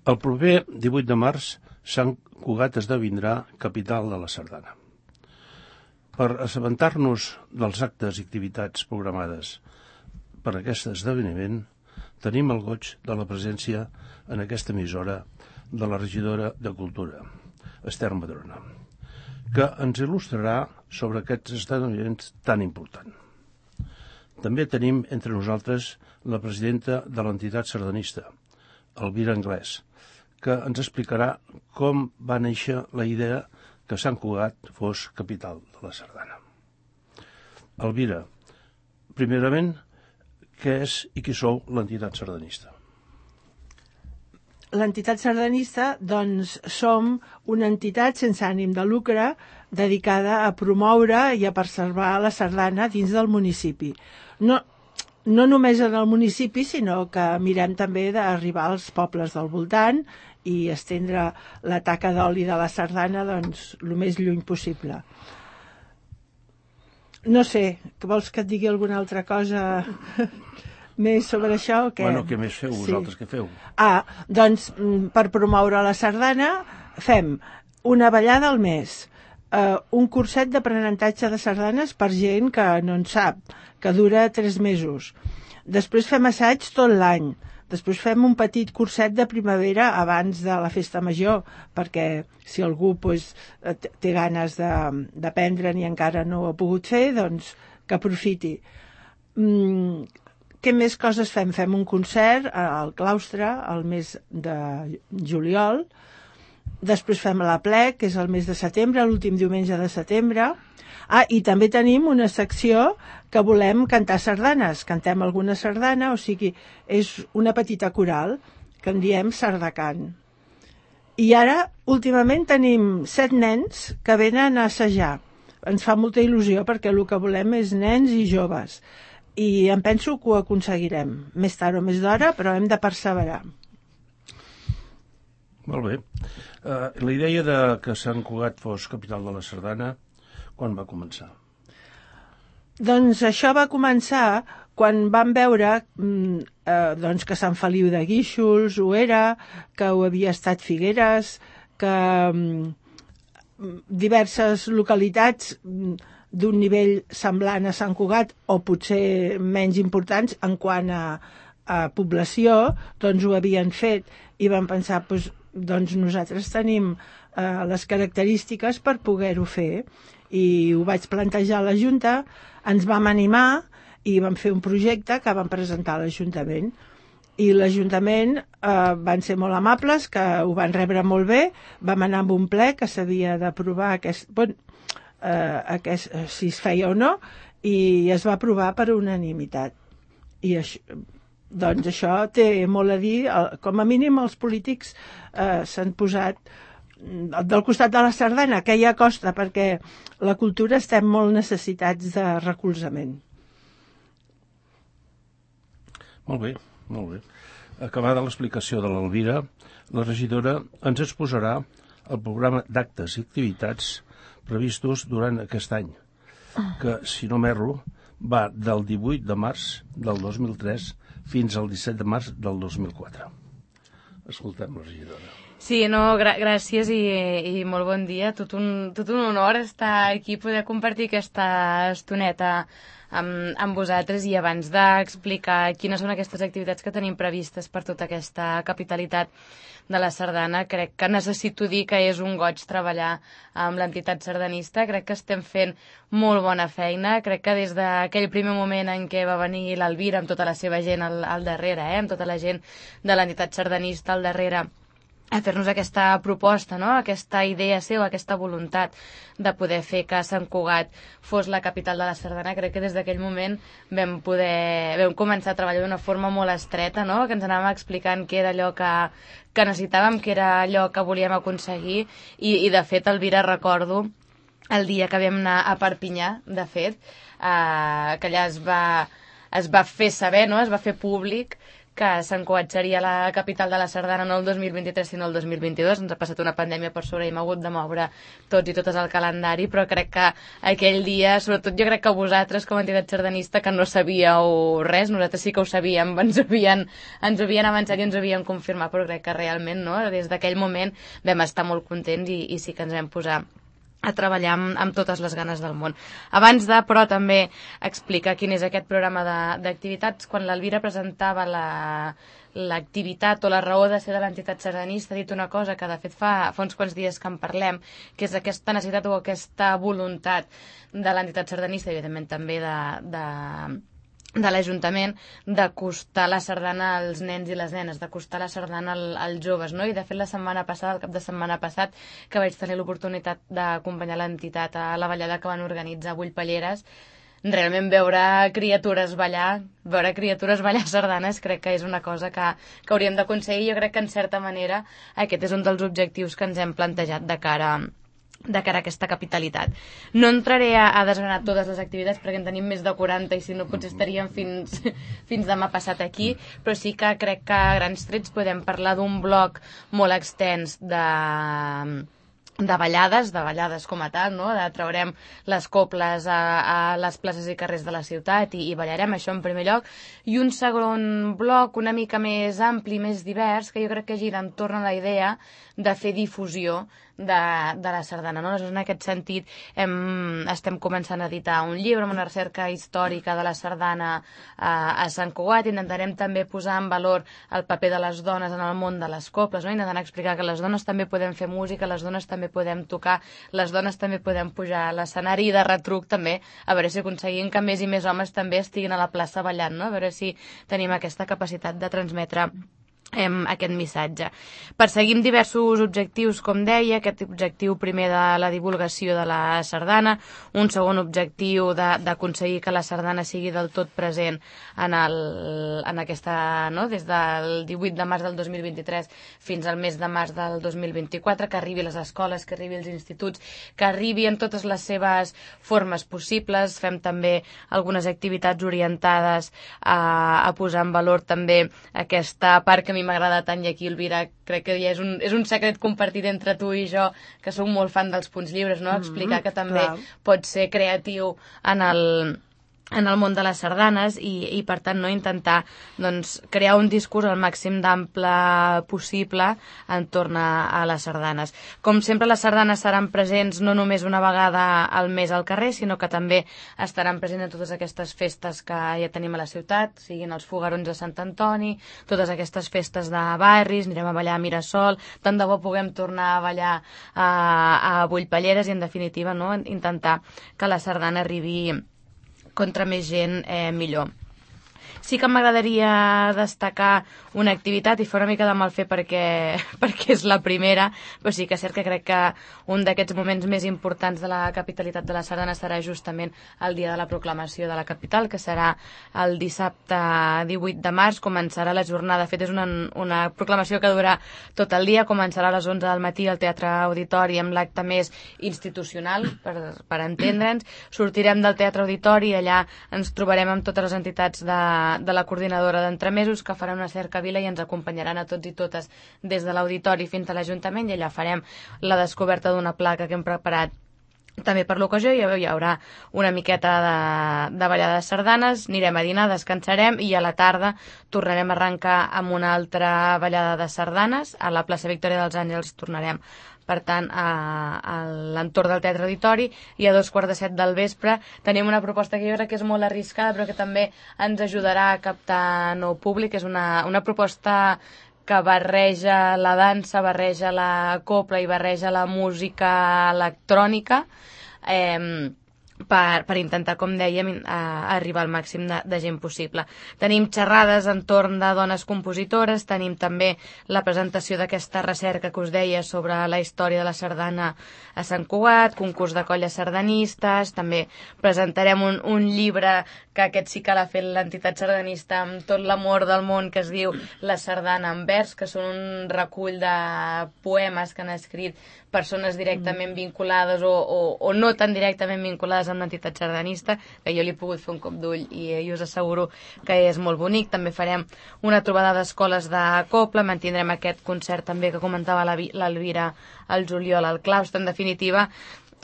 El proper 18 de març, Sant Cugat esdevindrà capital de la Sardana. Per assabentar-nos dels actes i activitats programades per aquest esdeveniment, tenim el goig de la presència en aquesta emissora de la regidora de Cultura, Ester Madrona, que ens il·lustrarà sobre aquests esdeveniments tan importants. També tenim entre nosaltres la presidenta de l'entitat sardanista, Elvira Anglès, que ens explicarà com va néixer la idea que Sant Cugat fos capital de la Sardana. Elvira, primerament, què és i qui sou l'entitat sardanista? L'entitat sardanista, doncs, som una entitat sense ànim de lucre dedicada a promoure i a preservar la sardana dins del municipi. No només en el municipi, sinó que mirem també d'arribar als pobles del voltant i estendre la taca d'oli de la sardana doncs, el més lluny possible. No sé, que vols que et digui alguna altra cosa més sobre això o què? Bueno, què més feu vosaltres, què feu? Doncs per promoure la sardana fem una ballada al mes, un curset d'aprenentatge de sardanes per gent que no en sap, que dura 3 mesos. Després fem assaig tot l'any. Després fem un petit curset de primavera abans de la festa major, perquè si algú té ganes d'aprendre'n i encara no ho ha pogut fer, doncs que aprofiti. Què més coses fem? Fem un concert al claustre al mes de juliol. Després fem l'aplec, que és el mes de setembre, l'últim diumenge de setembre. I també tenim una secció que volem cantar sardanes. Cantem alguna sardana, o sigui, és una petita coral que en diem Sardacant. I ara, últimament, tenim 7 nens que venen a assajar. Ens fa molta il·lusió perquè el que volem és nens i joves. I em penso que ho aconseguirem. Més tard o més d'hora, però hem de perseverar. Molt bé. La idea de que Sant Cugat fos capital de la Sardana, quan va començar? Doncs això va començar quan vam veure doncs que Sant Feliu de Guíxols ho era, que ho havia estat Figueres, que diverses localitats d'un nivell semblant a Sant Cugat o potser menys importants en quant a població, doncs ho havien fet i vam pensar, doncs nosaltres tenim les característiques per poder-ho fer. I ho vaig plantejar a la Junta, ens vam animar i vam fer un projecte que vam presentar a l'Ajuntament. I l'Ajuntament van ser molt amables, que ho van rebre molt bé, vam anar amb un ple que s'havia d'aprovar si es feia o no, i es va aprovar per unanimitat. I doncs això té molt a dir, com a mínim els polítics s'han posat del costat de la sardana, que ja costa perquè la cultura estem molt necessitats de recolzament. Molt bé, molt bé. Acabada l'explicació de l'Elvira, la regidora ens exposarà el programa d'actes i activitats previstos durant aquest any, que, si no m'erro, va del 18 de març del 2003 fins al 17 de març del 2004. Escoltem la regidora. Sí, gràcies i molt bon dia. Tot un honor estar aquí, poder compartir aquesta estoneta amb vosaltres i abans d'explicar quines són aquestes activitats que tenim previstes per tota aquesta capitalitat de la sardana, crec que necessito dir que és un goig treballar amb l'entitat sardanista. Crec que estem fent molt bona feina. Crec que des d'aquell primer moment en què va venir l'Elvira amb tota la seva gent al darrere, amb tota la gent de l'entitat sardanista al darrere, a fer-nos aquesta proposta, no? Aquesta idea seva, aquesta voluntat de poder fer que Sant Cugat fos la capital de la sardana. Crec que des d'aquell moment vam començar a treballar d'una forma molt estreta, no? Que ens anàvem explicant què era allò que necessitàvem, què era allò que volíem aconseguir i de fet, Elvira, recordo el dia que vam anar a Perpinyà, de fet, que allà es va fer saber, no? Es va fer públic que Sant Cugat seria la capital de la sardana no el 2023 sinó el 2022. Ens ha passat una pandèmia per sobre i hem hagut de moure tots i totes el calendari, però crec que aquell dia, sobretot jo crec que vosaltres com a entitat sardanista que no sabíeu res, nosaltres sí que ho sabíem, ens havien avançat i ens ho havien confirmat, però crec que realment no, des d'aquell moment vam estar molt contents i sí que ens vam posar a treballar amb totes les ganes del món. Abans de, però, també explicar quin és aquest programa d'activitats, quan l'Elvira presentava l'activitat o la raó de ser de l'entitat sardanista, ha dit una cosa que de fet fa uns quants dies que en parlem, que és aquesta necessitat o aquesta voluntat de l'entitat sardanista i evidentment també de l'Ajuntament d'acostar la sardana als nens i les nenes, d'acostar la sardana als joves, no? I de fet la setmana passada, el cap de setmana passat, que vaig tenir l'oportunitat d'acompanyar l'entitat a la ballada que van organitzar a Bullpalleres, realment veure criatures ballar sardanes crec que és una cosa que hauríem d'aconseguir. Jo crec que en certa manera aquest és un dels objectius que ens hem plantejat de cara a aquesta capitalitat. No entraré a desgranar totes les activitats perquè en tenim més de 40 i si no potser estaríem fins demà passat aquí, però sí que crec que a grans trets podem parlar d'un bloc molt extens de ballades com a tal, no? Traurem les coples a les places i carrers de la ciutat i ballarem, això en primer lloc, i un segon bloc una mica més ampli, més divers, que jo crec que gira entorn a la idea de fer difusió de la sardana, no? Aleshores, en aquest sentit estem començant a editar un llibre amb una recerca històrica de la sardana a Sant Cugat. Intentarem també posar en valor el paper de les dones en el món de les coples, no? Intentant explicar que les dones també podem fer música, les dones també podem tocar, les dones també podem pujar a l'escenari i de retruc també, a veure si aconseguim que més i més homes també estiguin a la plaça ballant, no? A veure si tenim aquesta capacitat de transmetre aquest missatge. Perseguim diversos objectius, com deia, aquest objectiu primer de la divulgació de la sardana, un segon objectiu d'aconseguir que la sardana sigui del tot present en aquesta, no? Des del 18 de març del 2023 fins al mes de març del 2024, que arribi a les escoles, que arribi als instituts, que arribi en totes les seves formes possibles. Fem també algunes activitats orientades a posar en valor també aquesta part que a mi m'agrada tant, i aquí, Elvira, crec que ja és un secret compartit entre tu i jo, que som molt fan dels punts lliures, no? Explicar que també pot ser creatiu en el món de les sardanes i per tant, no, intentar doncs, crear un discurs al màxim d'ample possible entorn a les sardanes. Com sempre, les sardanes seran presents no només una vegada al mes al carrer, sinó que també estaran presents en totes aquestes festes que ja tenim a la ciutat, siguin els fogarons de Sant Antoni, totes aquestes festes de barris, anirem a ballar a Mirasol, tant de bo puguem tornar a ballar a Bullpalleres i, en definitiva, no, intentar que la sardana arribi contra més gent millor. Sí que m'agradaria destacar una activitat i fer una mica de mal fer perquè és la primera, però sí que és cert que crec que un d'aquests moments més importants de la capitalitat de la sardana serà justament el dia de la proclamació de la capital, que serà el dissabte 18 de març. Començarà la jornada, de fet és una proclamació que durarà tot el dia, començarà a les 11 del matí al Teatre Auditori amb l'acte més institucional, per entendre'ns. Sortirem del Teatre Auditori i allà ens trobarem amb totes les entitats de la coordinadora d'entremesos, que faran una cercavila i ens acompanyaran a tots i totes des de l'auditori fins a l'Ajuntament, i allà farem la descoberta d'una placa que hem preparat també per l'ocasió. Hi haurà una miqueta de ballada de sardanes, anirem a dinar, descansarem i a la tarda tornarem a arrencar amb una altra ballada de sardanes. A la plaça Victòria dels Àngels tornarem, per tant, a l'entorn del Teatre Auditori, i a 2:45 del vespre tenim una proposta que jo crec que és molt arriscada però que també ens ajudarà a captar nou públic. És una proposta que barreja la dansa, barreja la copla i barreja la música electrònica, per intentar, com dèiem, arribar al màxim de gent possible. Tenim xerrades entorn de dones compositores, tenim també la presentació d'aquesta recerca que us deia sobre la història de la sardana a Sant Cugat, concurs de colles sardanistes, també presentarem un llibre que aquest sí que l'ha fet l'entitat sardanista amb tot l'amor del món, que es diu La sardana en vers, que són un recull de poemes que han escrit persones directament vinculades o no tan directament vinculades una entitat sardanista, que jo li he pogut fer un cop d'ull i us asseguro que és molt bonic. També farem una trobada d'escoles de Copla, mantindrem aquest concert també que comentava l'Elvira al juliol al claustre. En definitiva,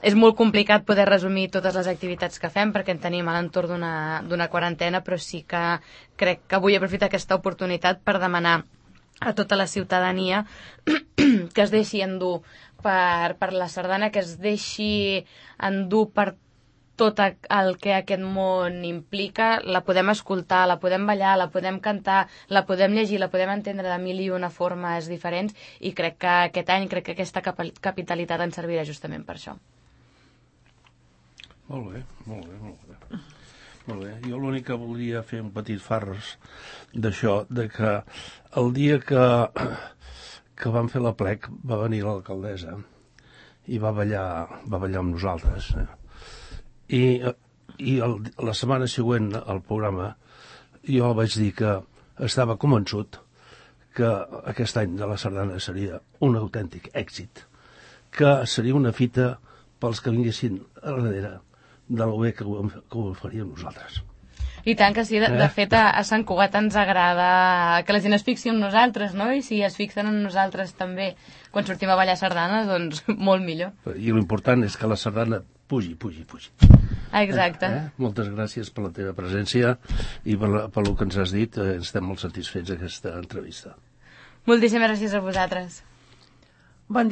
és molt complicat poder resumir totes les activitats que fem perquè en tenim a l'entorn d'una quarantena, però sí que crec que vull aprofitar aquesta oportunitat per demanar a tota la ciutadania que es deixi endur per la sardana, que es deixi endur per tot el que aquest món implica. La podem escoltar, la podem ballar, la podem cantar, la podem llegir, la podem entendre de mil i una formes diferents, i crec que aquest any, crec que aquesta capitalitat ens servirà justament per això. Molt bé, molt bé, molt bé. Molt bé. Jo l'únic que volia fer un petit farres d'això, de que el dia que vam fer l'aplec va venir l'alcaldessa i va ballar amb nosaltres. I la setmana següent al programa jo vaig dir que estava convençut que aquest any de la sardana seria un autèntic èxit, que seria una fita pels que vinguessin a darrere de lo bé que ho faríem nosaltres. I tant que sí, de fet a Sant Cugat ens agrada que la gent es fixi en nosaltres, no? I si es fixen en nosaltres també quan sortim a ballar sardanes, doncs molt millor. I l'important és que la sardana pugi. Exacte. Moltes gràcies per la teva presència i per el que ens has dit. Estem molt satisfets d'aquesta entrevista. Moltíssimes gràcies a vosaltres. Bon dia.